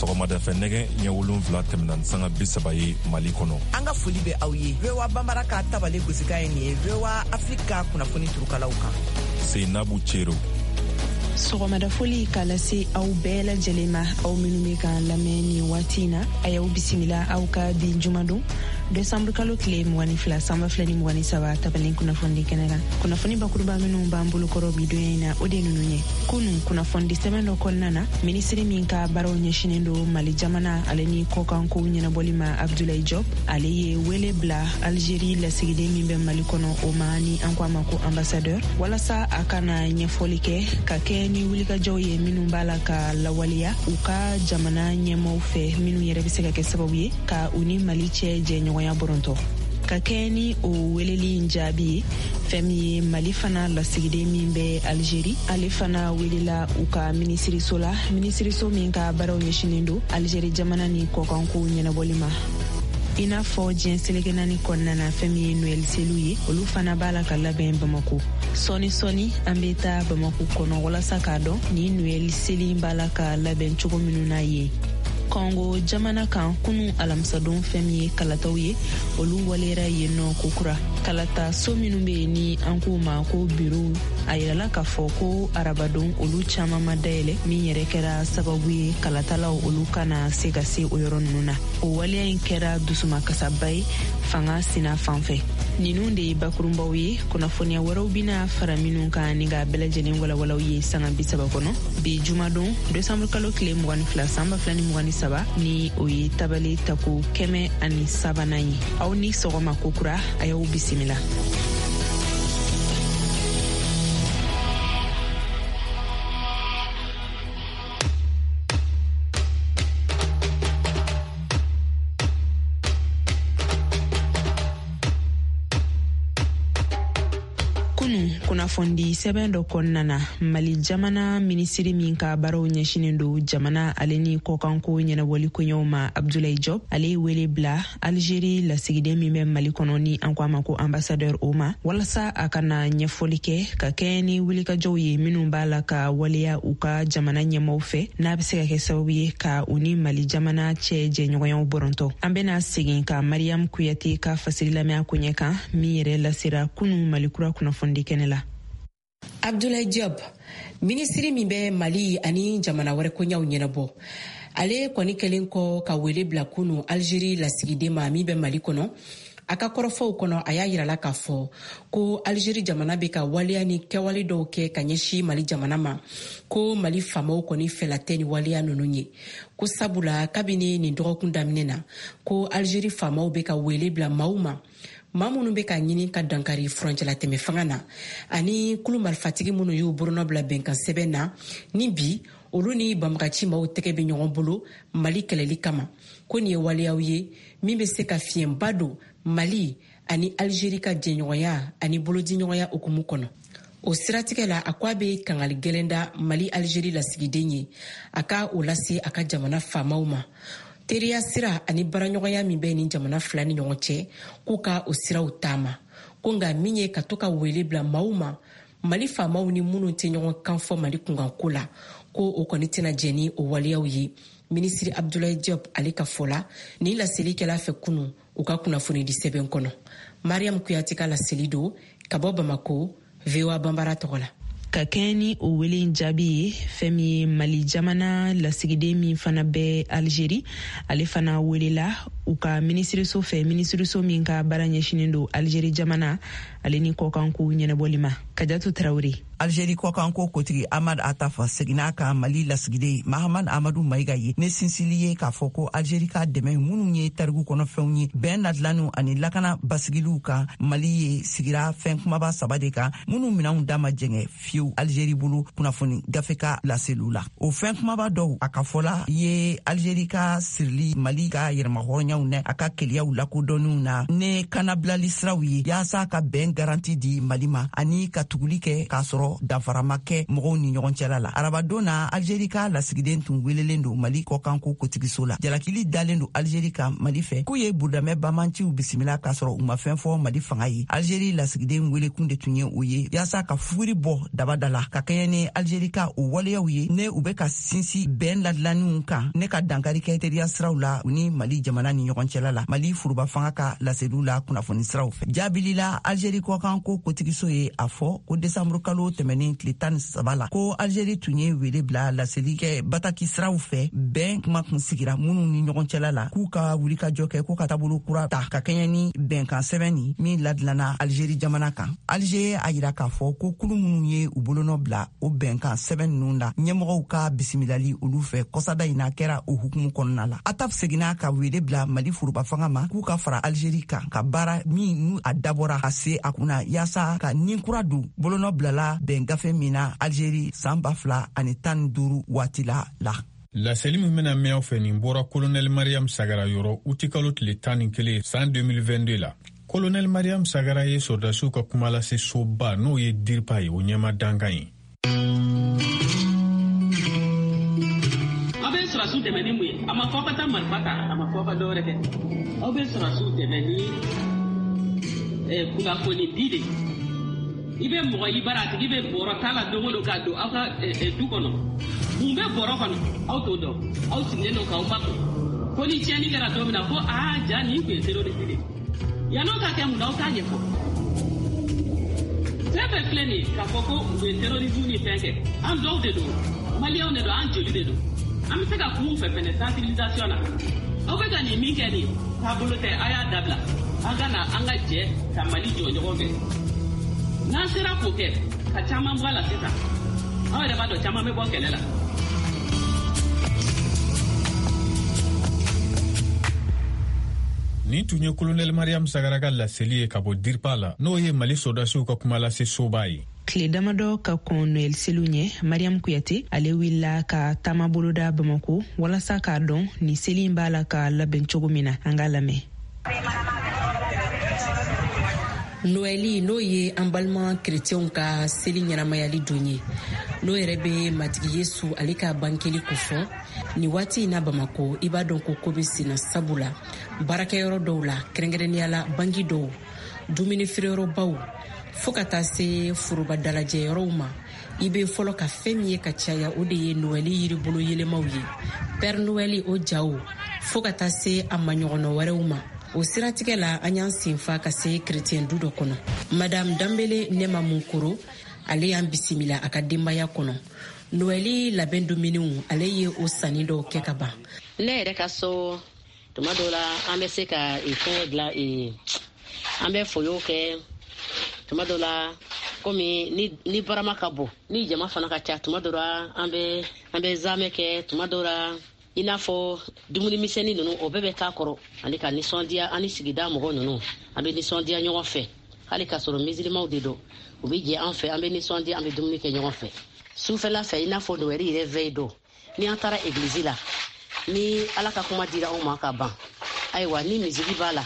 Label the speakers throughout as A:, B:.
A: Sɔgɔmadafɛ nɛgɛ ɲɛ 7 tɛmɛna ni sanga 30 ye Mali kɔnɔ.
B: An ka foli bɛ aw ye. VOA Banbara ka tabale gosikan ye nin ye VOA Afrique ka kunnafoni turukalaw kan.
A: Seinabu Cero.
C: Sɔgɔmadafoli k'a lase aw bɛɛ lajɛlen ma, aw minnu bɛ k'an lamɛn nin waati in na, a y'aw bisimila aw ka bi jumadon desanburu kalo tile 22 san 2023 tabalen kunnafonidi kɛnɛ kan. Kunnafoni bakuruba minnu b'an bolokɔrɔ bi donya in na, o de ninnu ye. Kunu kunnafonidi sɛbɛn dɔ kɔnɔna na, minisiri min ka baaraw ɲɛsinen don Mali jamana ale ni kɔkankow ɲɛnabɔli ma, Abdulayi Jɔp, ale ye wele bila Algérie lasigiden min bɛ Mali kɔnɔ o ma, ni an ko a ma ko ambassadeur, walasa a ka na ɲɛfɔli kɛ ka kɛ ni wulikajɔw ye minnu b'a la ka lawaleya u ka jamana ɲɛmaaw fɛ, minnu yɛrɛ bɛ se ka kɛ sababu ye ka u ni Mali cɛ jɛɲɔgɔnya bɔrɔntɔ. Ka kɛ ni o weleli in jaabi ye, fɛn min ye Mali fana lasigiden min bɛ Algérie, ale fana welela u ka minisiriso la, minisiriso min ka baaraw ɲɛsinnen don Algérie jamana ni kɔkankow ɲɛnabɔli ma. I n'a fɔ diɲɛ seleke naani kɔnɔna na, fɛn min ye Noɛl seliw ye, olu fana b'a la ka labɛn Bamako. Sɔɔni sɔɔni an bɛ taa Bamako kɔnɔ walasa k'a dɔn ni Noɛl seli b'a la ka labɛn cogo minnu na yen. Kɔngo jamana kan, kunu alamisadon, fɛn min ye kalataw ye, olu waleyara yen nɔ kokura. Kalata so minnu bɛ yen ni an k'u ma ko biro, a yirala k'a fɔ ko arabadon olu caman ma dayɛlɛ, min yɛrɛ kɛra sababu ye kalatalaw olu kana se ka se o yɔrɔ ninnu na. O waleya in kɛra dusumakasaba ye fanga sina fan fɛ. Ninnu de ye bakurunbaw ye. Kunnafoniya wɛrɛw bɛna fara minnu kan ni k'a bɛɛ lajɛlen walawalaw ye sanga 30 kɔnɔ bi jumadon desanburu kalo tile 22 san 2023, ni o ye tabale tako 103nan ye. Aw ni sɔgɔma kokura, a y'aw bisimila. Kunu kunnafonidi sɛbɛn dɔ kɔnɔna na, Mali jamana minisiri min ka baaraw ɲɛsinen don jamana ale ni kɔkanko ɲɛnabɔli koɲɛw ma, Abdulayi Jɔp, ale ye wele bila Algérie lasigiden min bɛ Mali kɔnɔ, ni an ko a ma ko ambassadeur, o ma, walasa a ka na ɲɛfɔli kɛ ka kɛɲɛ ni wulikajɔw ye minnu b'a la ka waleya u ka jamana ɲɛmaaw fɛ, n'a bɛ se ka kɛ sababu ye ka u ni Mali jamana cɛ jɛɲɔgɔnyaw bɔrɔntɔ. An bɛna segin ka Mariam Kuyate ka fasiri lamɛn a koɲɛ kan, min yɛrɛ lasera kunu Mali kura kunnafonidi kɛnɛ la.
D: Abdoulaye Diop, minisiri min bɛ Mali ani jamana wɛrɛ koɲaw ɲɛnabɔ, ale kɔni kɛlen kɔ ka wele bila kunu Algérie lasigiden ma min bɛ Mali kɔnɔ, a ka kɔrɔfɔw kɔnɔ, a y'a yirala k'a fɔ ko Algérie jamana bɛ ka waleya ni kɛwale dɔw kɛ ka ɲɛsin Mali jamana ma, ko Mali faamaw kɔni fɛla tɛ ni waleya ninnu ye, ko sabula kabini nin dɔgɔkun daminɛ na, ko Algérie faamaw bɛ ka wele bila maaw ma, maa minnu bɛ ka ɲini ka dankari furancɛlatɛmɛ fanga na ani kulu marifatigi minnu y'u bolonɔ bila bɛnkan sɛbɛn na, ni bi olu ni banbagaci maaw tɛgɛ bɛ ɲɔgɔn bolo Mali kɛlɛli kama, ko nin ye waleyaw ye min bɛ se ka fiɲɛba don Mali ani Algérie ka jɛɲɔgɔnya ani bolodiɲɔgɔnya hukumu kɔnɔ. O siratigɛ la, a ko a bɛ kangali gɛlɛn da Mali Algérie lasigiden ye, a ka o lase a ka jamana faamaw ma, teriya sira ani baaraɲɔgɔnya min bɛ nin jamana fila ni ɲɔgɔn cɛ, k'u ka o siraw taama, ko nka min ye ka to ka wele bila maaw ma, Mali faamaw ni minnu tɛ ɲɔgɔn kan fɔ Mali kunkanko la, ko o kɔni tɛna jɛn ni o waleyaw ye. Minisiri Abdoulaye Diop ale ka fɔ la, nin laseli kɛla fɛ kunu u ka kunnafonidi sɛbɛn kɔnɔ. Mariam Kuyate ka laseli don ka bɔ Bamako, VOA Banbara tɔgɔ la.
C: Ka kɛɲɛ ni o wele in jaabi ye, fɛn min ye Mali jamana lasigiden min fana bɛ Algérie, ale fana welela u ka minisiriso fɛ, minisiriso min ka baara ɲɛsinen don Algérie jamana ale ni kɔkankow ɲɛnabɔli ma. Kajatu Tarawele.
B: Algérie kɔkanko kotigi Ahmad Attaf seginna ka Mali lasigiden Mahamad Amadu Mayiga ye ne sinsili ye k'a fɔ ko Algérie ka dɛmɛ minnu ye tariku kɔnɔfɛnw ye, bɛn ladilanniw ani lakana basigiliw kan Mali ye, sigira fɛn kumaba saba de kan minnu minɛnw da ma jɛngɛ fiyewu Algérie bolo, kunnafoni gafe ka laseliw la. O fɛn kumaba dɔw, a ka fɔla, ye Algérie ka sirili Mali ka yɛrɛmahɔrɔnyaw na a ka keleyaw lakodɔnniw na ne kanabilali siraw ye, yaasa ka bɛn garanti di Mali ma ani ka tuguli kɛ k'a sɔrɔ sɔrɔ danfara ma kɛ mɔgɔw ni ɲɔgɔn cɛla la. Arabadon na, Algérie ka lasigiden tun welelen don Mali kɔkanko kotigiso la. Jalakili dalen don Algérie kan Mali fɛ k'u ye burudamɛ bamanciw bisimila k'a sɔrɔ u ma fɛn fɔ Mali fanga ye. Algérie lasigiden welekun de tun ye o ye yaasa ka fuguri bɔ daba da la ka kɛɲɛ ni Algérie ka o waleyaw ye ne u bɛ ka sinsin bɛn ladilanniw kan ne ka dankari kɛ teriya siraw la u ni Mali jamana ni ɲɔgɔn cɛla la, Mali foroba fanga ka laseliw la kunnafoni siraw fɛ. Jaabili la, Algérie kɔkanko kotigiso ye a fɔ ko desanburu kalo tɛmɛnen tile 13 la, ko Algérie tun ye wele bila laseli kɛ bataki siraw fɛ, bɛn kuma kun sigira minnu ni ɲɔgɔn cɛla la, k'u ka wulikajɔ kɛ ko ka taabolo kura ta ka kɛɲɛ ni bɛnkan sɛbɛn nin min ladilanna Algérie jamana kan. Alger a yira k'a fɔ ko kulu minnu ye u bolonɔ bila o bɛnkan sɛbɛn ninnu la, ɲɛmɔgɔw ka bisimilali olu fɛ kɔsada in na kɛra o hukumu kɔnɔna la. Attaf seginna ka wele bila Mali foroba fanga ma k'u ka fara Algérie kan ka baara min n'u a dabɔra ka se a kunna yaasa ka nin kura don bolonɔ bilala bɛn gafe min na Algérie san 2015 waati la.
E: Laseli min bɛna mɛn aw fɛ nin bɔra Kolonɛli Mariam Sagara yɔrɔ utikalo tile 11 san 2022 la. Kolonɛli Mariam Sagara ye sɔrɔdasiw ka kumalase soba n'o ye DIRPA ye, o ɲɛma dankan ye.
F: Aw bɛ sɔrɔdasiw dɛmɛ ni mun ye? A ma fɔ aw ka taa marifa ta, a ma fɔ aw ka dɔwɛrɛ kɛ. Aw bɛ sɔrɔdasiw dɛmɛ ni kunnafoni di de. I bɛ mɔgɔ i bara, a tigi bɛ bɔrɔ ta la don o don ka don aw ka du kɔnɔ. Mun bɛ bɔrɔ kɔnɔ? Aw t'o dɔn. Aw sigilen don k'aw makun. Ko ni tiɲɛni kɛra don min na, ko aa ja nin tun ye terroriste de ye. Yann'o ka kɛ, mun na aw t'a ɲɛfɔ? Fɛn fɛn filɛ nin ye k'a fɔ ko u bɛ terrorisme ni fɛn kɛ, an dɔw de don, maliyɛnw de don, an joli de don. An bɛ se ka kuma u fɛ fɛnɛ sensibilisation na. Aw bɛ ka nin min kɛ nin taabolo tɛ, a y'a dabila. An ka na an ka jɛ ka Mali jɔ ɲɔgɔn fɛ. N'an sera k'o kɛ ka caman bɔ a la sisan, aw yɛrɛ b'a dɔn caman bɛ bɔ kɛlɛ la.
E: Nin tun ye Kolonɛli Mariam Sagara ka laseli ye ka bɔ DIRPA la, n'o ye Mali sɔrɔdasiw ka kumalase soba ye.
C: Tile damadɔ ka kɔn Noɛl seliw ɲɛ, Mariam Kuyate ale wulila ka taama boloda Bamako walasa k'a dɔn ni seli in b'a la ka labɛn cogo min na. An k'a lamɛn.
D: Noɛli, n'o ye an balima kerecɛnw ka seli ɲɛnamayali don ye, n'o yɛrɛ bɛ Matigi Yesu ale ka bangeli kofɔ, nin waati in na Bamako, i b'a dɔn ko ko bɛ senna, sabu la baarakɛyɔrɔ dɔw la, kɛrɛnkɛrɛnnenya la banki dɔw, dumuni feereyɔrɔbaw, fo ka taa se foroba dalajɛyɔrɔw ma, i bɛ fɔlɔ ka fɛn min ye ka caya, o de ye Noɛli yiribolo yɛlɛmaw ye, Père Noël o jaw, fo ka taa se a maɲɔgɔnna wɛrɛw ma. O siratigɛ la, an y'an senfa ka se kerecɛn du dɔ kɔnɔ. Madame Danbele Nɛma Munkoro, ale y'an bisimila a ka denbaya kɔnɔ. Noɛli labɛn dumuniw, ale ye o sanni dɔw kɛ ka ban.
G: Ne yɛrɛ ka so, tuma dɔw la an bɛ se ka fɛngɛ dilan, an bɛ foyo kɛ tuma dɔw la, komi ni barama ka bon, ni jama fana ka ca, tuma dɔw la an bɛ zamɛ kɛ, tuma dɔw la i n'a fɔ dumuni misɛnnin ninnu, o bɛɛ bɛ k'a kɔrɔ, ani ka nisɔndiya an ni sigida mɔgɔ ninnu, an bɛ nisɔndiya ɲɔgɔn fɛ, hali k'a sɔrɔ misilimaw de don, u bɛ jɛ an fɛ, an bɛ nisɔndiya, an bɛ dumuni kɛ ɲɔgɔn fɛ. Sufɛla fɛ, i n'a fɔ Noɛli yɛrɛ veille don, ni an taara egilizi la, ni Ala ka kuma dira anw ma ka ban, ayiwa ni misigi b'a la,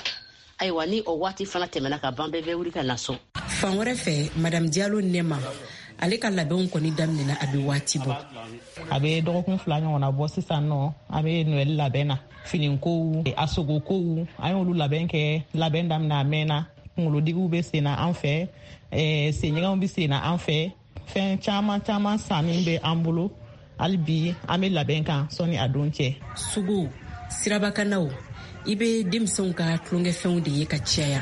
G: ayiwa ni o waati fana tɛmɛna ka ban, bɛɛ bɛ wuli ka na so.
D: Fan wɛrɛ fɛ, Madame Diallo Nɛma, ale ka labɛnw kɔni daminɛna a bɛ waati bɔ.
H: A bɛ dɔgɔkun 2 ɲɔgɔnna bɔ sisan nɔ, an bɛ Noɛl labɛn na, finikow, a sogokow, an y'olu labɛn kɛ, labɛn daminɛ a mɛnna, kunkolodigiw bɛ sen na an fɛ, senɲɛgɛnw bɛ sen na an fɛ, fɛn caman caman sanni bɛ an bolo. Hali bi an bɛ labɛn kan sɔnni a don cɛ.
D: Sugu, sirabakanaw, i bɛ denmisɛnw ka tulonkɛfɛnw de ye ka caya.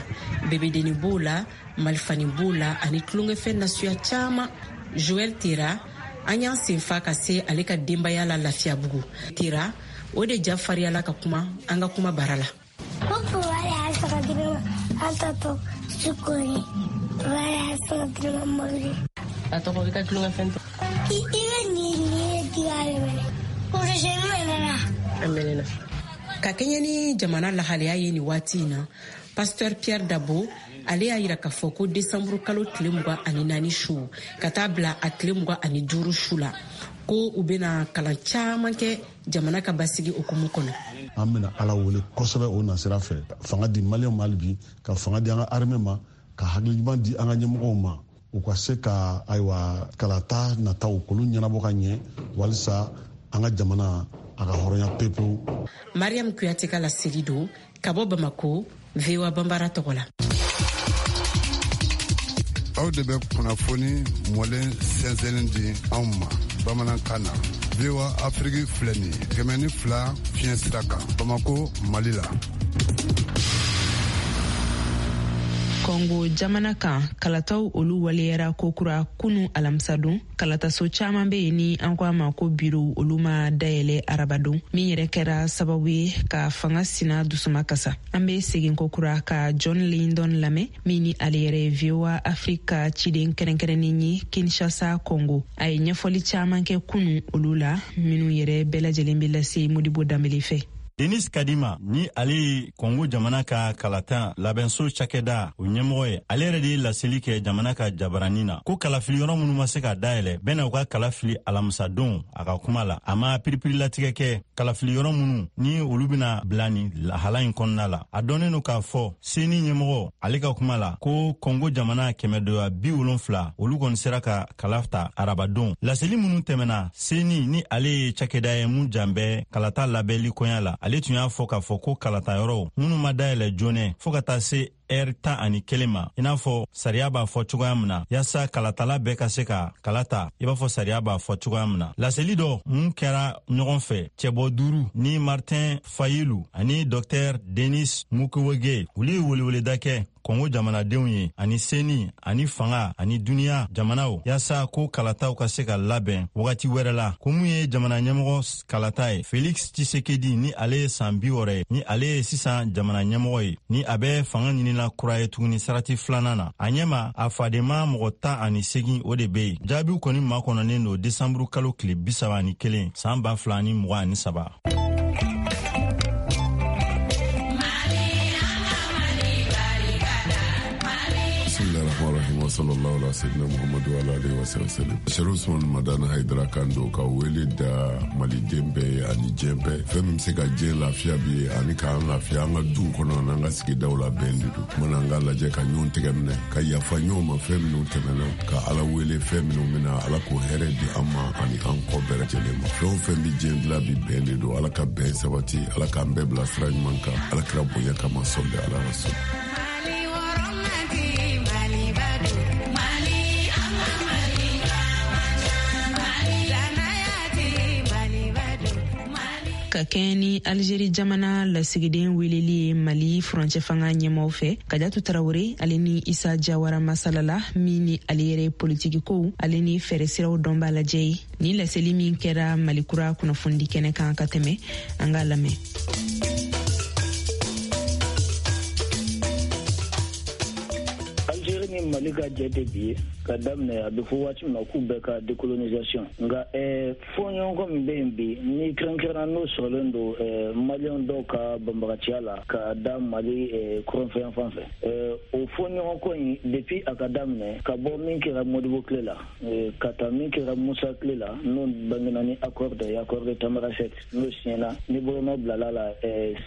D: Bebedenni b'o la, malifani b'o la, ani tulonkɛfɛn nasuya caman. Joël Tera, an y'an senfa ka se ale ka denbaya la Lafiyabugu. Tera, o de ja fariyala ka kuma an ka kuma bara la.
G: A tɔgɔ i ka tulonkɛfɛn tɔ.
I: I bɛ nin di ale minɛ.
G: A mɛnɛna.
D: Ka kɛɲɛ ni jamana lahalaya ye nin waati in na, Pasteur Pierre Dabo, ale y'a yira k'a fɔ ko desanburu kalo tile 24 su ka taa bila a tile 25 su la, ko u bɛna kalan caman kɛ jamana ka basigi hukumu kɔnɔ.
J: An bɛna Ala wele kosɛbɛ o nasira fɛ, fanga di maliyɛnw ma hali bi, ka fanga di an ka armée ma, ka hakili ɲuman di an ka ɲɛmɔgɔw ma. U ka se ka, ayiwa, kalata nataw k'olu ɲɛnabɔ ka ɲɛ, walisa an ka jamana a ka hɔrɔnya pepewu.
D: Mariam Kuyate ka laseli don ka bɔ Bamako, VOA Banbara tɔgɔ la.
K: Aw de bɛ kunnafoni mɔlen sɛnsɛnnin di anw ma bamanankan na. VOA Afiriki filɛ nin ye, 102 fiɲɛ sira kan, Bamako, Mali la.
C: Kɔngo jamana kan, kalataw olu waleyara kokura kunu alamisadon. Kalataso caaman be yen ni an ko a ma ko biro, olu ma dayɛlɛ arabadon, min yɛrɛ kɛra sababu ye ka fanga sina dusuma kasa. An be segin kokura ka John Lindon lamɛn, min ni ale yɛrɛ ye VOA Afrika ciden kɛrɛnkɛrɛnnen ye Kinshasa, Congo. A ye ɲɛfɔli caaman kɛ kunu olu la, minnu yɛrɛ bɛɛ lajɛlen be lase Modibo Danbele fɛ.
L: Denis Kadima, ni ale ye Kongo jamana ka kalata labɛnso cakɛda o ɲɛmɔgɔ ye, ale yɛrɛ de ye laseli kɛ jamana ka jabarani na ko kalafili yɔrɔ minnu ma se ka dayɛlɛ, bɛna u ka kala fili alamisadon. A ka kuma la, a ma piripirilatigɛ kɛ kalafili yɔrɔ minnu ni olu bɛna bila nin lahala in kɔnɔna la. A dɔnnen don k'a fɔ CENI ɲɛmɔgɔ, ale ka kuma la, ko Kongo jamana 170, olu kɔni sera ka kala ta arabadon. Laseli minnu tɛmɛna, CENI, ni ale ye cakɛda ye mun jan bɛ kalata labɛnli koɲa la, ale tun y'a fɔ k'a fɔ ko kalata yɔrɔw minnu ma dayɛlɛ joonɛ fɔɔ ka taa se ɛri 11 ma, i n'a fɔ sariya b'a fɔ cogoya min na, yaasa kalatala bɛɛ ka se ka kala ta i b'a fɔ sariya b'a fɔ cogoya min na. Laseli dɔ mun kɛra ɲɔgɔn fɛ, cɛbɔ duuru ni Martin Fayilu ani Dɔktɛr Denis Mukwege, olu ye weleweleda kɛ Kɔngo jamanadenw ye ani CENI ani fanga ani duniɲa jamanaw, yaasa ko kalataw ka se ka labɛn wagati wɛrɛ la. Ko mun ye jamana ɲɛmɔgɔ kalata ye, Felix Tshisekedi, ni ale ye san 60 ye, ni ale ye sisan jamana ɲɛmɔgɔ ye, ni a bɛ fanga ɲinina kura ye tuguni sarati filanan na, a ɲɛma a fadenma mɔgɔ 18, o de be yen. Jaabiw kɔni makɔnɔnen don desanburu kalo tile 31 san 2023.
K: Wa sallallahu ala sayyidina Muhammadu wa alihi wa sallam. Sherif Usman Madani Haidara kan don ka wele da maliden bɛɛ ye ani diɲɛ bɛɛ. Fɛn min bɛ se ka diɲɛ lafiya bi ye ani k'an lafiya an ka duw kɔnɔ n'an ka sigidaw la, bɛn de don. Mana an ka lajɛ ka ɲɔgɔn tɛgɛ minɛ, ka yafa ɲɔgɔn ma fɛn minnu tɛmɛna, ka Ala wele fɛn minnu bɛna, Ala k'o hɛrɛ di an ma ani an kɔ bɛɛ lajɛlen ma. Fɛn o fɛn bɛ diɲɛ dilan bi, bɛn de don. Ala ka bɛn sabati, Ala k'an bɛɛ bila sira ɲuman kan, Ala kira bonya kama, sɔli ala rasul.
C: Ka kɛɲɛ ni Algérie jamana lasigiden weleli ye Mali furancɛ fanga ɲɛmaw fɛ, Kajatu Tarawure ale ni Isa Jawara masalala, min ni ale yɛrɛ politiki kow ale ni fɛɛrɛ siraw dɔnba lajɛ ye. Ni laseli min kɛra Mali Kura kunnafonidi kɛnɛ kan ka tɛmɛ, an k'a lamɛn.
M: Algérie ni Mali ka jɛ tɛ bi ye ka daminɛ. A bɛ fɔ waati min na k'u bɛɛ ka décolonisation, nka fɔɲɔgɔnkɔ min bɛ yen bi, ni kɛrɛnkɛrɛnna n'o sɔrɔlen don maliyɛn dɔw ka banbagaciya la ka da Mali kɔrɔnfɛ fan fɛ, o fɔɲɔgɔnkɔ in, depuis a ka daminɛ, ka bɔ min kɛra Modibo tile la ka taa min kɛra Musa tile la, n'o bangena ni accord de ye, accord de Tamanrasset, n'o signena ni bolonɔ bilala la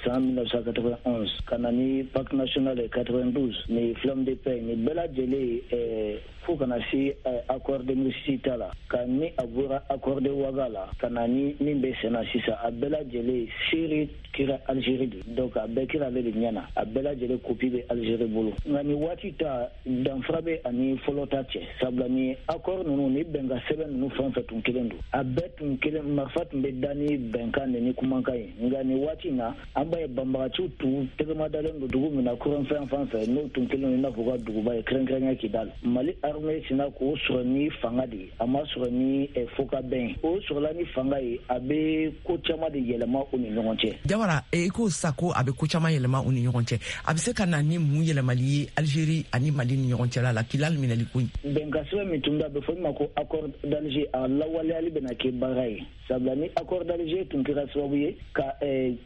M: san 1991, ka na ni pacte national 92 ni flamme de paix, ni bɛɛ lajɛlen, fo kana se accord de 2006 ta la, ka ni a bɔra accord de Ouaga la ka na ni min bɛ sen na sisan, a bɛɛ lajɛlen seere kɛra Algérie de. Donc a bɛɛ kɛra ale de ɲɛ na, a bɛɛ lajɛlen copie bɛ Algérie bolo. Nka ni waati ta, danfara bɛ ani fɔlɔ ta cɛ, sabula ni accord ninnu ni bɛnkan sɛbɛn ninnu fɛn o fɛn tun kelen don, a bɛɛ tun kelen, marifa tun bɛ da ni bɛnkan de ni kumakan ye. Nka ni waati in na, an b'a ye banbagaciw tun tɛgɛma dalen don dugu min na kɔrɔnfɛn fan fɛ, n'o tun kelen don i n'a fɔ u ka duguba ye, kɛrɛnkɛrɛnya Kidal, Mali armée sinna k'o sɔrɔ ni fanga de ye, a ma sɔrɔ ni fɔkabɛn ye. O sɔrɔla ni fanga ye, a bɛ ko caman de yɛlɛma u ni ɲɔgɔn cɛ.
B: Jawara, i ko sa ko a bɛ ko caman yɛlɛma u ni ɲɔgɔn cɛ. A bɛ se ka na ni mun yɛlɛmali ye Algérie ani Mali ni ɲɔgɔn cɛla la, Kidal minɛli ko in?
M: Bɛnkan sɛbɛn min tun bɛ, a bɛ fɔ min ma ko accord d'Alger, a lawaleyali bɛna kɛ baara ye, sabula ni accord d'Alger tun kɛra sababu ye ka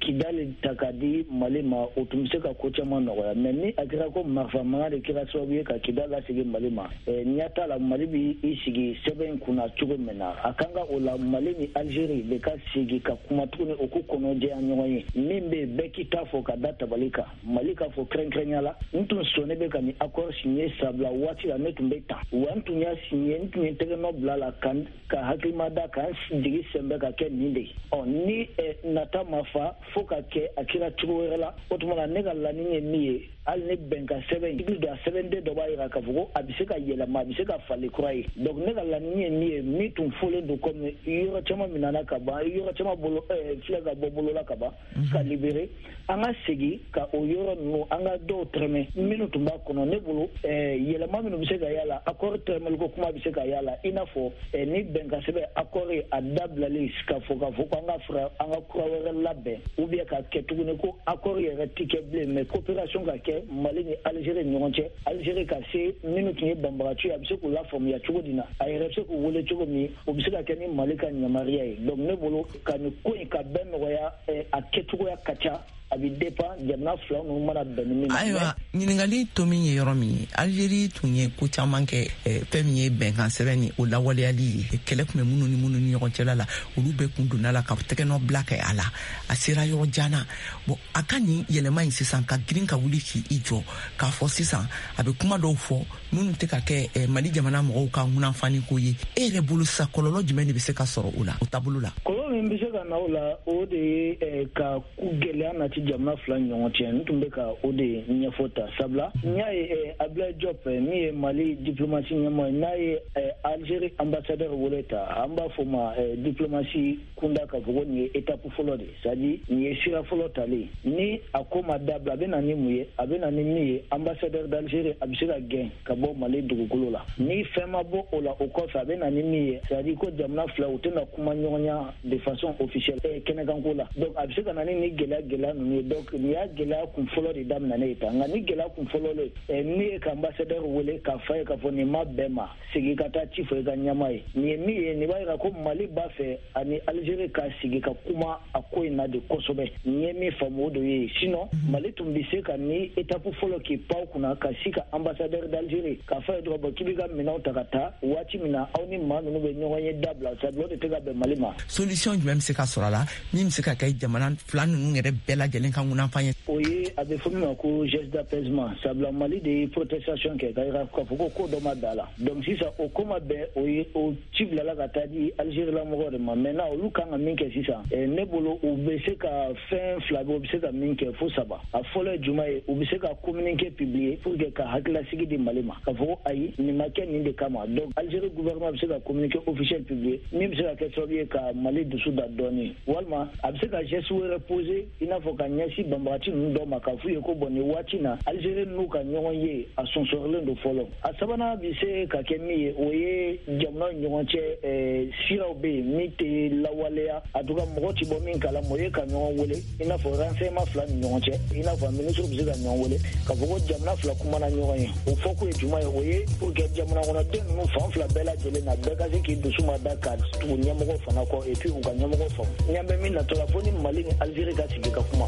M: Kidali ta ka di Mali ma, o tun bɛ se ka ko caman nɔgɔya. Mais ni a kɛra ko marifa mankan de kɛra sababu ye ka Kidali lasegin Mali ma, n'i ɲɛ t'a la Mali bɛ i sigi sɛbɛn in kunna cogo min na. A kan ka o la Mali ni Algérie de ka sigi ka kuma tuguni, o k'u kɔnɔjɛya ɲɔgɔn ye. Min bɛ yen, bɛɛ k'i ta fɔ ka da tabali kan. Mali k'a fɔ kɛrɛnkɛrɛnya la, n tun sɔnnen bɛ ka nin accord signé, sabula waati la ne tun bɛ tan wa, n tun y'a signé, n tun ye tɛgɛnɔ bila la ka hakilima da ka n jigi sɛnbɛ ka kɛ nin de ye. Ɔ ni nata ma fa fo ka kɛ a kɛra cogo wɛrɛ la, o tuma na ne ka laɲini ye min ye, hali ni bɛnkan sɛbɛn i don a sɛbɛnden dɔ b'a jira k'a fɔ ko a bɛ se ka yɛlɛma, a bɛ se ka falen kura ye. Donc ne ka laɲini ye min ye, min tun fɔlen don, komi yɔrɔ caman minɛna ka ban, yɔrɔ caman bolo filɛ ka bɔ bolo la ka ban, ka libérer, an ka segin ka o yɔrɔ ninnu, an ka dɔw tɛrɛmɛ minnu tun b'a kɔnɔ. Ne bolo, yɛlɛma minnu bɛ se ka y'a la, accord tɛrɛmɛliko kuma bɛ se ka y'a la, i n'a fɔ ni bɛnkan sɛbɛn accord ye a dabilali ka fɔ k'a fɔ ko an ka fara an ka kura wɛrɛ labɛn, ou bien ka kɛ tuguni ko accord yɛrɛ ti kɛ bilen, mais coopération ka kɛ Mali ni Algérie ni ɲɔgɔn cɛ. Algérie ka se minnu tun ye banbagaci ye, a bɛ se k'u lafaamuya cogo di na, a yɛrɛ bɛ se k'u wele cogo min, o bɛ se ka kɛ ni Mali ka yamaruya ye. Donc ne bolo, ka nin ko in ka bɛɛ nɔgɔya, a kɛcogoya ka ca, a bɛ dépend jamana fila ninnu mana bɛn ni min ma.
B: Ayiwa, ɲininkali to min ye yɔrɔ min ye, Algérie tun ye ko caman kɛ, fɛn min ye bɛnkan sɛbɛn ni o lawaleyali ye. Kɛlɛ tun bɛ minnu ni minnu ni ɲɔgɔn cɛla la, olu bɛɛ kun donna la ka tɛgɛnɔ bila kɛ a la. A sera yɔrɔ jan na. Bon, a ka nin yɛlɛma in sisan, ka girin ka wuli k'i jɔ k'a fɔ sisan a bɛ kuma dɔw fɔ minnu tɛ ka kɛ Mali jamana mɔgɔw ka ŋunanfani ko ye, e yɛrɛ bolo sisan, kɔlɔlɔ jumɛn de bɛ se ka sɔrɔ o la, o taabolo la?
M: Kɔlɔlɔ min bɛ se ka na o la, o de ye ka gɛlɛya nati jamana fila ni ɲɔgɔn cɛ. N tun bɛ ka o de ɲɛfɔ ta, sabula n y'a ye Abdoulaye Diop, min ye Mali diplomatie ɲɛmɔgɔ ye, n'a ye Algérie ambassadeur wele ta, an b'a fɔ ma diplomatie kunda k'a fɔ ko nin ye étape fɔlɔ de ye, c'est à dire nin ye sira fɔlɔ talen. Ni a ko ma dabila, a bɛ na ni mun ye? A bɛ na ni min ye, ambassadeur d'Algérie a bɛ se ka gɛn ka bɔ Mali dugukolo la. Ni fɛn ma bɔ o la, o kɔfɛ a bɛ na ni min ye, c'est à dire ko jamana fila u tɛna kuma ɲɔgɔnya de façon officielle kɛnɛkanko la. Donc a bɛ se ka na ni gɛlɛya ninnu ye. Donc nin y'a gɛlɛya kun fɔlɔ de daminɛ ye tan. Nka ni gɛlɛya kun fɔlɔ le, ne ye ka ambassadeur wele k'a fɔ a ye k'a fɔ nin ma bɛn ma, segin ka taa ci fɔ i ka ɲɛmaa ye. Nin ye min ye, nin b'a jira ko Mali b'a fɛ ani Algérie ka sigi ka kuma a ko in na de kosɛbɛ. Nin ye min faamu, o de ye. Sinon Mali tun bɛ se ka ni étape fɔlɔ k'i pan o kunna ka si ka ambassadeur d'Algérie k'a fɔ a ye dɔrɔn, bon, k'i b'i ka minɛnw ta ka taa waati min na aw ni maa ninnu bɛ ɲɔgɔn ye dabila, sabula o de tɛ ka bɛn Mali ma.
B: Solution jumɛn bɛ se ka sɔrɔ a la min bɛ se ka kɛ jamana fila ninnu yɛrɛ bɛɛ lajɛlen ka ŋunanfan ye?
M: O ye a bɛ fɔ min ma ko geste d'apaisement, sabula Mali de ye protestation kɛ ka yira k'a fɔ ko ko dɔ ma bɛn a la. Donc sisan o ko ma bɛn, o ye o ci bilala ka taa di Algérie la mɔgɔw de ma. Maintenant olu kan ka min kɛ sisan, ne bolo, u bɛ se ka fɛn fila bɛ, u bɛ se ka min kɛ fo saba. A fɔlɔ ye jumɛn ye? U bɛ se ka communiqué publier pour que ka hakililasigi di Mali ma k'a fɔ ko ayi, nin ma kɛ nin de kama. Donc Algérie gouvernement bɛ se ka communiqué officiel publier min bɛ se ka kɛ sababu ye ka Mali dusu da dɔɔni. Walima a bɛ se ka geste wɛrɛ poser, i n'a fɔ ka ɲɛsin banbagaci ninnu dɔw ma, k'a f'u ye ko bon, nin waati na Algérie n'u ka ɲɔgɔn ye a sonsɔrɔlen don fɔlɔ. A sabanan bɛ se ka kɛ min ye, o ye jamanaw ni ɲɔgɔn cɛ siraw bɛ yen min tɛ lawaleya, en tout cas mɔgɔ ti bɔ min kalama, o ye ka ɲɔgɔn wele, i n'a fɔ renseignement fila ni ɲɔgɔn cɛ, i n'a fɔ ministre bɛ se ka ɲɔgɔn wele k'a fɔ ko jamana fila kumana ɲɔgɔn ye. O fɔko ye jumɛn ye? O ye pour que jamana kɔnɔden ninnu fan fila bɛɛ lajɛlen na, bɛɛ ka se k'i dusu ma da ka tugu ɲɛmɔgɔ fana kɔ, et puis u ka ɲɛmɔgɔ faamu. Ɲɛ bɛ min natɔ la, fo ni Mali ni Algérie ka sigi ka kuma.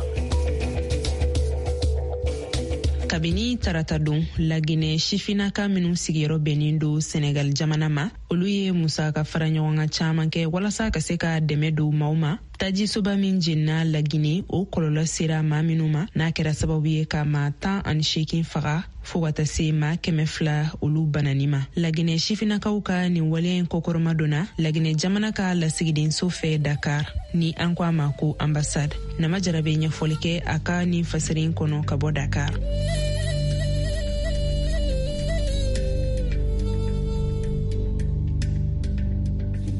C: Kabini tarata don, Laginɛ sifinnaka minw sigiyɔrɔ bɛnnen don Senegal jamana ma, olu ye musaka fara ɲɔgɔn kan caaman kɛ walasa ka se ka dɛmɛ don maaw ma, tajisoba min jenina Lagine, o kɔlɔlɔ sera maa minw ma, n'a kɛra sababu ye ka maa 18 faga fɔɔ ka taa se maa 200 olu banani ma. Laginɛ sifinnakaw ka nin waleya in kɔkɔrɔma donna Laginɛ jamana ka lasigidenso fɛ Dakar, ni an ko a ma ko ambassade. Nama Jara bɛ ɲɛfɔli kɛ a ka nin fasiri in kɔnɔ ka bɔ Dakar.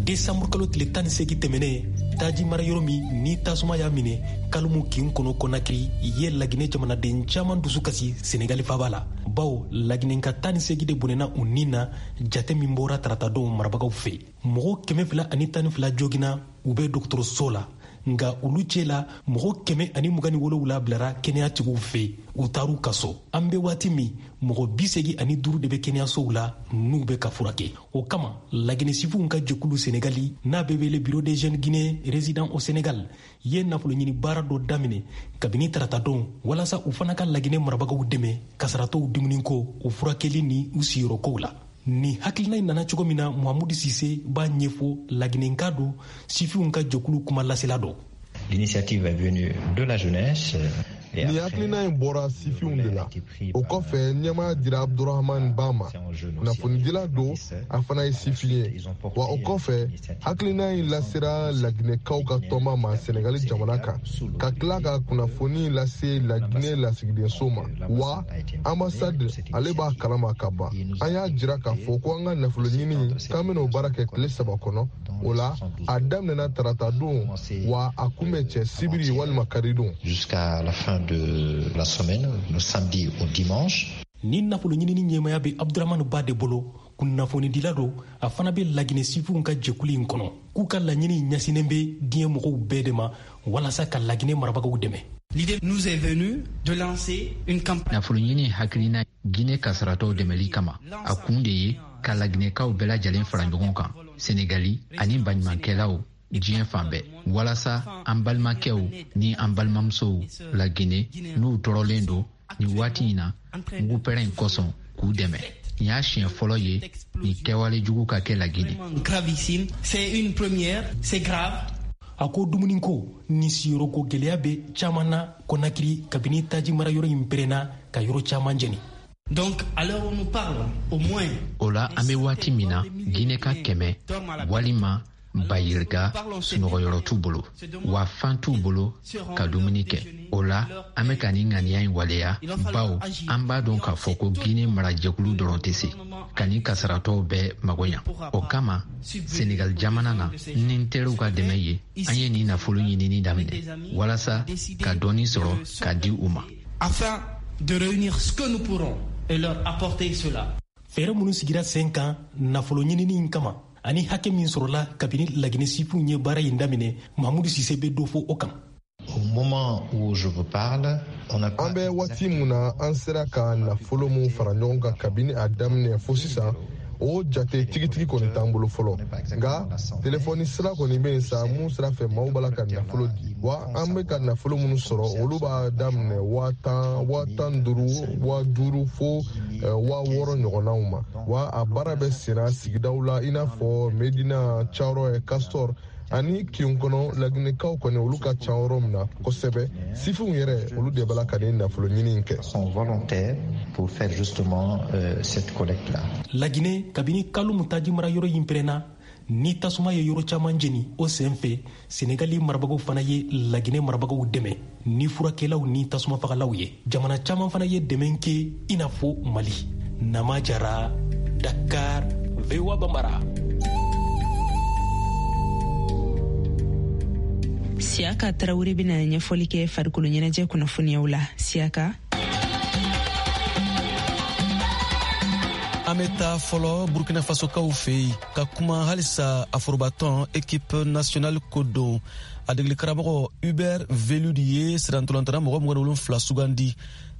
N: Desanburu kalo tile 18 tɛmɛnen, taji mara yɔrɔ min ni tasuma y'a minɛ Kalimu kin kɔnɔ Konakiri ye Laginɛ jamanaden caman dusu kasi Senegali faba la, bawo Laginɛka 18 de bɔnɛna u nin na. Jate min bɔra taratadon marabagaw fɛ, mɔgɔ 212 jogina, u bɛ dɔgɔtɔrɔso la, nka olu cɛ la mɔgɔ 127 bilara kɛnɛyatigiw fɛ, u taar'u ka so. An bɛ waati min, mɔgɔ 85 de bɛ kɛnɛyasow la n'u bɛ ka furakɛ. O kama, Laginɛ sifinw ka jɛkulu Senegali, n'a bɛ wele Bureau des jeunes guinéens résidents au Sénégal, ye nafolo ɲini baara dɔ daminɛ kabini taratadon walasa u fana ka Laginɛ marabagaw dɛmɛ kasaratɔw dumuniko, u furakɛli ni u siyɔrɔkow la. Nin hakilina in nana cogo min na, Muhamudu Sise b'a ɲɛfɔ, laginɛka don, sifinw ka jɛkulu kuma lasela don.
O: L'initiative est venue de la jeunesse.
P: Nin hakilina in bɔra sifinw de la. O kɔfɛ, ɲɛmaaya dira Abdurahman Ba ma, kunnafonidila don, a fana ye sifin ye. Wa o kɔfɛ, hakilina in lasera laginɛkaw ka tɔnba ma Senegali jamana kan, ka tila ka kunnafoni lase Laginɛ lasigidenso ma. Wa ambassade, ale b'a kalama ka ban. An y'a jira k'a fɔ ko an ka nafolo ɲini, k'an bɛna o baara kɛ tile 3 kɔnɔ. O la, a daminɛna tarata don, wa a kun bɛ cɛ sibiri walima karidon.
O: Jusqu'à la fin de la semaine, le samedi au dimanche.
N: Ni nafolo ɲinini ɲɛmaya bɛ Abdurahmane Ba de bolo, kunnafonidila don, a fana bɛ laginɛ sifinw ka jɛkulu in kɔnɔ, k'u ka laɲini ɲɛsinnen bɛ diɲɛ mɔgɔw bɛɛ de ma walasa ka laginɛ marabagaw dɛmɛ.
Q: L'idée nous est venue de lancer une campagne.
R: Nafolo ɲini hakilina Guinée kasaratɔw dɛmɛli kama, a kun de ye ka laginɛkaw bɛɛ lajɛlen fara ɲɔgɔn kan, Senegali ani baɲumankɛlaw diɲɛ fan bɛɛ, walasa an balimakɛw ni an balimamusow la Guinée n'u tɔɔrɔlen don nin waati in na mugupɛrɛn in kosɔn, k'u dɛmɛ. Nin y'a siɲɛ fɔlɔ ye nin kɛwale jugu ka kɛ la Guinée.
Q: Gravissime, c'est une première, c'est grave.
N: A ko dumuniko ni siyɔrɔko gɛlɛya bɛ caman na Konakiri kabini taji marayɔrɔ in pɛrɛnna ka yɔrɔ caman jeni.
Q: Donc, à l'heure où nous parlons, au moins.
R: O la, an bɛ waati min na, Guinée ka 100 walima 300 sunɔgɔyɔrɔ t'u bolo, wa fan t'u bolo ka dumuni kɛ. O la, an bɛ ka nin ŋaniya in waleya, bawo an b'a dɔn k'a fɔ ko Guinée marajɛkulu dɔrɔn tɛ se ka nin kasaratɔw bɛɛ mago ɲa. O kama, Senegal jamana na, ni n teriw ka dɛmɛ ye, an ye nin nafolo ɲinini daminɛ walasa ka dɔɔni sɔrɔ ka di u ma.
Q: Afin de réunir ce que nous pourrons et leur apporter cela.
N: Fɛɛrɛ minnu sigira sen kan nafolo ɲinini in kama ani hakɛ min sɔrɔla kabini laginɛ sifinw ye baara in daminɛ, Mahamudu Sise bɛ dɔ fɔ o kan.
O: Au moment où je vous parle, on n'a pas
P: An bɛ waati mun na, an sera ka nafolo mun fara ɲɔgɔn kan kabini a daminɛ fo sisan, o jate tigitigi kɔni t'an bolo fɔlɔ. Nka telefɔni sira kɔni bɛ yen sa, mun sira fɛ maaw b'a la ka nafolo di. Wa an bɛ ka nafolo minnu sɔrɔ, olu b'a daminɛ 10 000, 15 000, 5 000 fo 6 000 ɲɔgɔnnaw ma. Wa a baara bɛ senna sigidaw la, i n'a fɔ Medina, Cawrɔ, Castor ani kin kɔnɔ. Laginɛkaw kɔni, olu ka ca yɔrɔ min na kosɛbɛ, sifinw yɛrɛ, olu de b'a la ka nin nafolo ɲini in kɛ.
O: Sont volontaires pour faire justement cette collecte là.
N: Laginɛ, kabini kalo taji mara yɔrɔ in pɛrɛnna ni tasuma ye yɔrɔ caman jeni, o sen fɛ Senegali marabagaw fana ye laginɛ marabagaw dɛmɛ ni furakɛlaw ni tasuma fagalaw ye. Jamana caman fana ye dɛmɛ kɛ, i n'a fɔ Mali. Nama Jara, Dakar, VOA Bambara.
C: Siyaka Tarawele bɛna ɲɛfɔli kɛ farikolo ɲɛnajɛ kunnafoniyaw la. Siyaka.
S: An bɛ taa fɔlɔ Burkina Fasokaw fɛ yen ka kuma halisa a forobatɔn équipe nationale ko don. A degeli karamɔgɔ Hubert Velud ye sirantolantana mɔgɔ 27 sugandi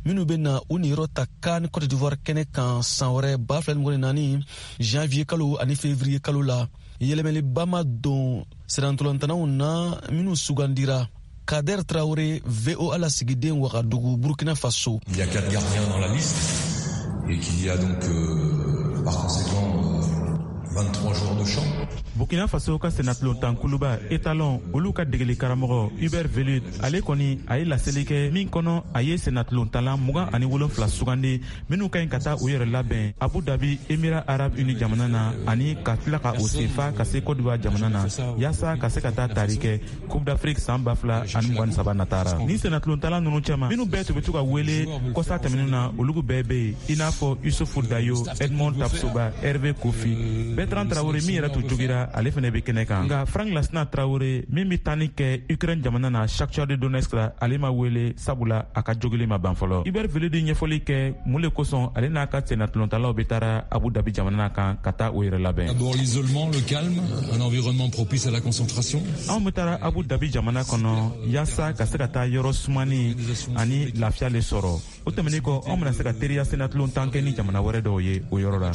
S: minnu bɛ na u niyɔrɔ ta CAN Cote d'Ivoire kɛnɛ kan san wɛrɛ 2024 janvier kalo ani février kalo la. Yɛlɛmɛliba ma don sirantolantanaw na minnu sugandira. Kader Traoré, VOA lasigiden Wagadugu, Burkina Faso.
A: Il y a quatre gardiens dans la liste et qu'il y a donc par conséquent 23 joueurs de champ.
T: Burkina Faso ka senatulontan kuluba Étalon, olu ka degeli karamɔgɔ Hubert Velud, ale kɔni a ye laseli kɛ min kɔnɔ, a ye senatulontanla 27 sugandi minnu ka ɲi ka taa u yɛrɛ labɛn Abu Dhabi, Émirats arabes unis jamana na, ani ka tila ka o senfa ka se Côte d'Ivoire jamana na, yaasa ka se ka taa tari kɛ Coupe d'Afrique san 2023 natara. Ni senatulontanla nunu cɛma, minnu bɛɛ tun bɛ to ka wele kɔsa tɛmɛnenw na, olu bɛɛ bɛ yen, i n'a fɔ Yusufu Dayo, Edmond Tapsoba, Hervé Kofi, Bertrand Traoré min yɛrɛ tun jogira, ale fɛnɛ bɛ kɛnɛ kan. Nka Frank Lasina Traoré min bɛ taani kɛ Ukraine jamana na, Shakhtar de Donetsk la, ale ma wele, sabula a ka jogili ma ban fɔlɔ. Hubert Velud ɲɛfɔli kɛ mun le kosɔn ale n'a ka sennatulontanlaw bɛ taara Abu Dhabi jamana kan ka taa o yɛrɛ labɛn.
U: D'abord l'isolement, le calme, un environnement propice à la concentration.
T: Anw bɛ taara Abu Dhabi jamana kɔnɔ yaasa ka se ka taa yɔrɔ sumani ani lafiya le sɔrɔ. O tɛmɛnen kɔ, anw bɛna se ka teriya sennatulon tan kɛ ni jamana wɛrɛ dɔw ye o yɔrɔ la.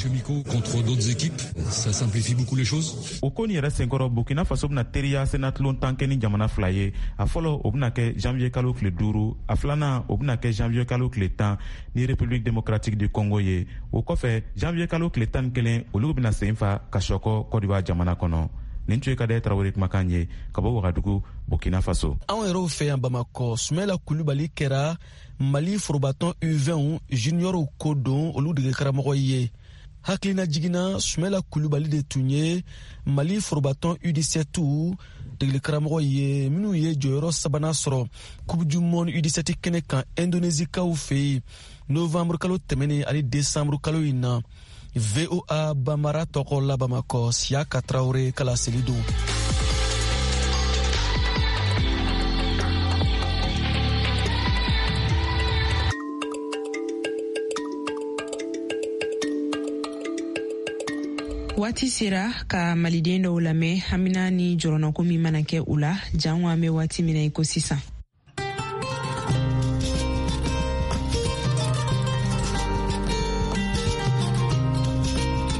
U: Contre d'autres équipes, Ça simplifie beaucoup les choses.
T: O ko nin yɛrɛ senkɔrɔ, Burkina Faso bɛna teriya sennatulon tan kɛ ni jamana fila ye. A fɔlɔ, o bɛna kɛ janvier kalo tile 5. A filanan, o bɛna kɛ janvier kalo tile 10 ni République démocratique du Congo ye. O kɔfɛ, janvier kalo tile 11, olu bɛna sen fa ka sɔkɔ Côte d'Ivoire jamana kɔnɔ. Nin tun ye Kadɛ Tarawele kumakan ye ka bɔ Wagadugu, Burkina Faso.
S: Anw yɛrɛw fɛ yan Bamakɔ, Sumɛla Kulubali kɛra Mali forobatɔn U20 juniorw ko don olu dege karamɔgɔ ye. Hakilina jiginna, Sumɛla Kulubali de tun ye Mali forobatɔn U17 degeli karamɔgɔ ye minnu ye jɔyɔrɔ sabanan sɔrɔ Coupe du monde U17 kɛnɛ kan Indonésikaw fɛ yen novembre kalo tɛmɛnen ani décembre kalo in na. VOA Bambara tɔgɔ la Bamakɔ, Siyaka Tarawele ka laseli don.
C: Waati sera ka Maliden dɔw lamɛn, hamina ni jɔrɔnako min mana kɛ u la jango an bɛ waati min na i ko sisan.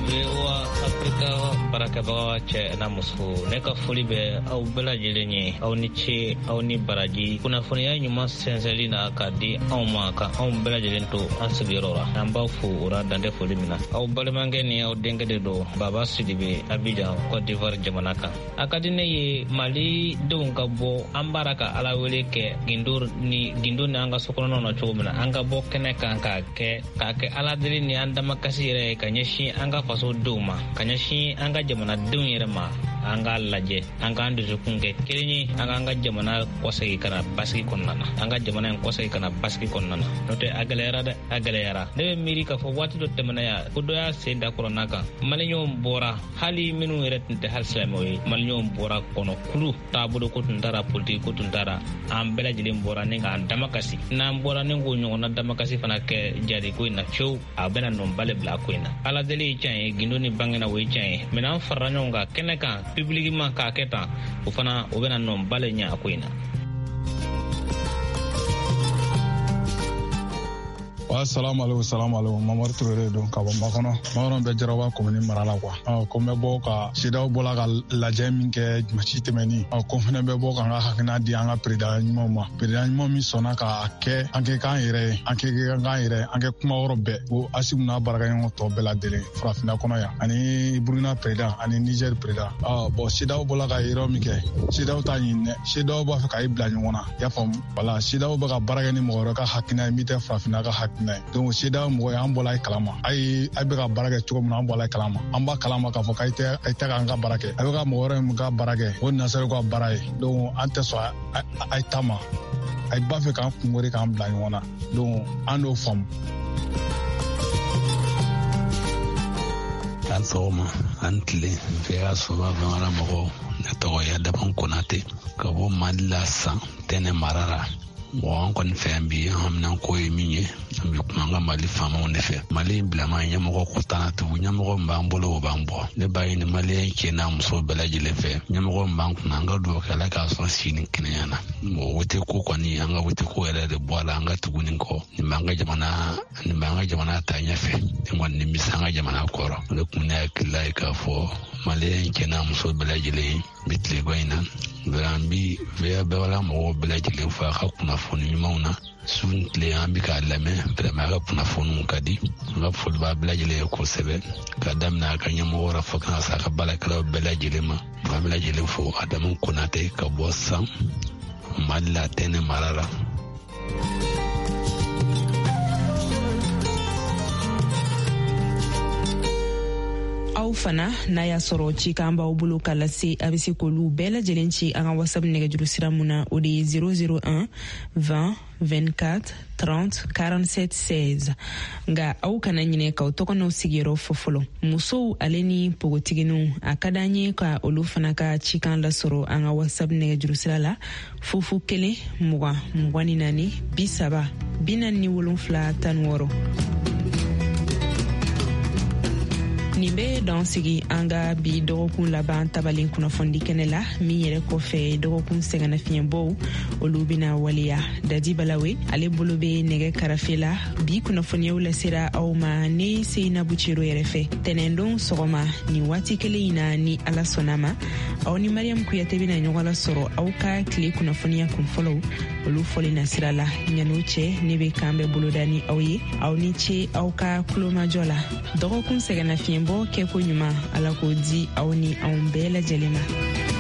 F: VOA Afrika baarakɛbaga cɛ n'a muso, ne ka foli bɛ aw bɛɛ lajɛlen ye. Aw ni ce, aw ni baraji kunnafoniya ɲuman sɛnsɛnli na ka di anw ma, ka anw bɛɛ lajɛlen to an sigiyɔrɔ la. An b'aw fo o la dantɛ foli min na. Aw balimakɛ ni aw denkɛ de don, Baba Sidibe, Abidjan, Cote d'Ivoire jamana kan. A ka di ne ye Mali denw ka bɔ. An b'ara ka Ala wele kɛ gindo ni gindo ni an ka sokɔnɔnaw na cogo min na, an ka bɔ kɛnɛ kan k'a kɛ Ala deli ni an damakasi yɛrɛ ye ka ɲɛsin an ka faso denw ma, ka ɲɛsin an ka jamanadenw yɛrɛ ma. An k'a lajɛ, an k'an dusukun kɛ kelen ye, an k'an ka jamana kɔsegi ka na basigi kɔnɔna na, an ka jamana in kɔsegi ka na basigi kɔnɔna na. N'o tɛ, a gɛlɛyara dɛ, a gɛlɛyara. Ne bɛ miiri k'a fɔ waati dɔ tɛmɛna yan ko dɔ y'a sen da kuranna kan, Maliyɛnw bɔra, hali minnu yɛrɛ tun tɛ hali silamɛw ye, Maliyɛnw bɔra kɔnɔ kulu taabolo ko tun taara, politiki ko tun taara, an bɛɛ lajɛlen bɔra ni k'an damakasi. N'an bɔra ni k'o ɲɔgɔnna damakasi fana kɛ jadi ko in na fiyewu, a bɛna nɔnba le bila ko in na. Ala deli ye tiɲɛ ye, gindo ni bangena o ye tiɲɛ ye, mɛ n'an farala ɲɔgɔn kan kɛnɛ kan publiquement k'a kɛ tan, o fana o bɛna nɔnba le ɲɛ a ko in na.
V: Wa salamu aleykum, salamu aleykum. Mamadu Ture don ka bɔ Makɔnɔ. Makɔnɔ bɛ Jaraba komini mara la kuwa. Ko n bɛ bɔ ka CEDEAO bɔla ka lajɛ min kɛ dimanche tɛmɛni, ko n fɛnɛ bɛ bɔ ka n ka hakilina di an ka président ɲumanw ma, président ɲuman min sɔnna k'a kɛ an kɛ k'an yɛrɛ ye, an kɛ k'an yɛrɛ, an kɛ kuma yɔrɔ bɛɛ, ko Asimu n'a baarakɛɲɔgɔn tɔ bɛɛ lajɛlen farafinna kɔnɔ yan, ani Burukina président ani Niger président. Bɔn, CEDEAO bɔla ka yɔrɔ min kɛ, CEDEAO t'a ɲini dɛ. CEDEAO b'a fɛ k'a bila ɲɔgɔn na, i y'a faamu? Wala CEDEAO bɛ ka baara kɛ ni mɔgɔ wɛrɛ ka hakilina ye min tɛ farafinna ka hakilina ye. Donc CEDEAO mɔgɔ ye, an bɔla i kalama, a ye a bɛ ka baara kɛ cogo min na, an bɔla i kalama, an b'a kalama k'a fɔ k'a tɛ a tɛ k'an ka baara kɛ, a bɛ ka mɔgɔ wɛrɛ min ka baara kɛ, o nasaraw ka baara ye. Donc an tɛ sɔn a ye ta ma, a b'a fɛ k'an kungori k'an bila ɲɔgɔn na. Donc an n'o faamu.
W: An sɔgɔma, an tile. VOA soba Bambara mɔgɔw, ne tɔgɔ ye Adamu Konate ka bɔ Mali la, San Tɛnɛ mara la. Bon, an kɔni fɛ yan bi, an haminanko ye min ye, an bɛ kuma an ka Mali faamaw de fɛ. Mali bilama ɲɛmɔgɔ ko tana tugu, ɲɛmɔgɔ min b'an bolo, o b'an bɔ. Ne b'a ɲini Maliyɛn cɛ n'a muso bɛɛ lajɛlen fɛ, ɲɛmɔgɔ min b'an kunna, an ka dugawu kɛ Ala k'a sɔn si ni kɛnɛya na. Mɔgɔ wote ko kɔni, an ka wote ko yɛrɛ de bɔ a la, an ka tugu nin kɔ. Nin b'an ka jamana, nin b'an ka jamana ta ɲɛfɛ, nin kɔni nin bɛ se an ka jamana kɔrɔ. O de kun ne hakilila ye k'a fɔ Maliyɛn cɛ n'a muso bɛɛ lajɛlen bi tileba in na. An bi VOA Bambara mɔgɔw bɛɛ lajɛlen fo a ka kunnafoni ɲumanw na. Su ni tile an bi k'a lamɛn. Vraiment, a ka kunnafoniw ka di. An ka foli b'a bɛɛ lajɛlen ye kosɛbɛ, ka daminɛ a ka ɲɛmɔgɔ la fo kana se a ka baarakɛlaw bɛɛ lajɛlen ma. An bɛɛ lajɛlen fo. Adamu Konate ka bɔ San, Mali la, Tɛnɛ mara la.
C: Aw fana, n'a y'a sɔrɔ cikan b'aw bolo ka lase, a be se k'olu bɛɛ lajɛlen ci an ka WhatsApp nɛgɛjuru sira mun na, o de ye 001 20 24 30 47 16. Nga aw kana ɲinɛ k'aw tɔgɔ n'aw sigiyɔrɔ fɔ fɔlɔ. Musow ale ni npogotiginiw, a ka d'an ye ka olu fana ka cikan lasɔrɔ an ka WhatsApp nɛgɛjuru sira la: 0 0 20 24 30 47 16. Nin bɛ dan sigi an ka bi dɔgɔkun laban tabalen kunnafonidi kɛnɛ la. Min yɛrɛ kɔfɛ, dɔgɔkun sɛgɛnnafiɲɛbɔw, olu bɛna waleya. Dadi Balawe, ale bolo bɛ nɛgɛ karafe la. Bi kunnafoniyaw lasera aw ma ne Seyinabu Cero yɛrɛ fɛ. Tɛnɛndon sɔgɔma nin waati kelen in na, ni Ala sɔnna ma, aw ni Mariam Kuyate bɛna ɲɔgɔn lasɔrɔ aw ka tile kunnafoniya kunfɔlɔw, olu fɔli nasira la. Ɲan'o cɛ, ne bɛ kan bɛ boloda ni aw ye. Aw ni ce aw ka kulomajɔ la. Dɔgɔkun sɛgɛnnafiɲɛbɔ kɛko ɲuman, Ala k'o di aw ni anw bɛɛ lajɛlen ma.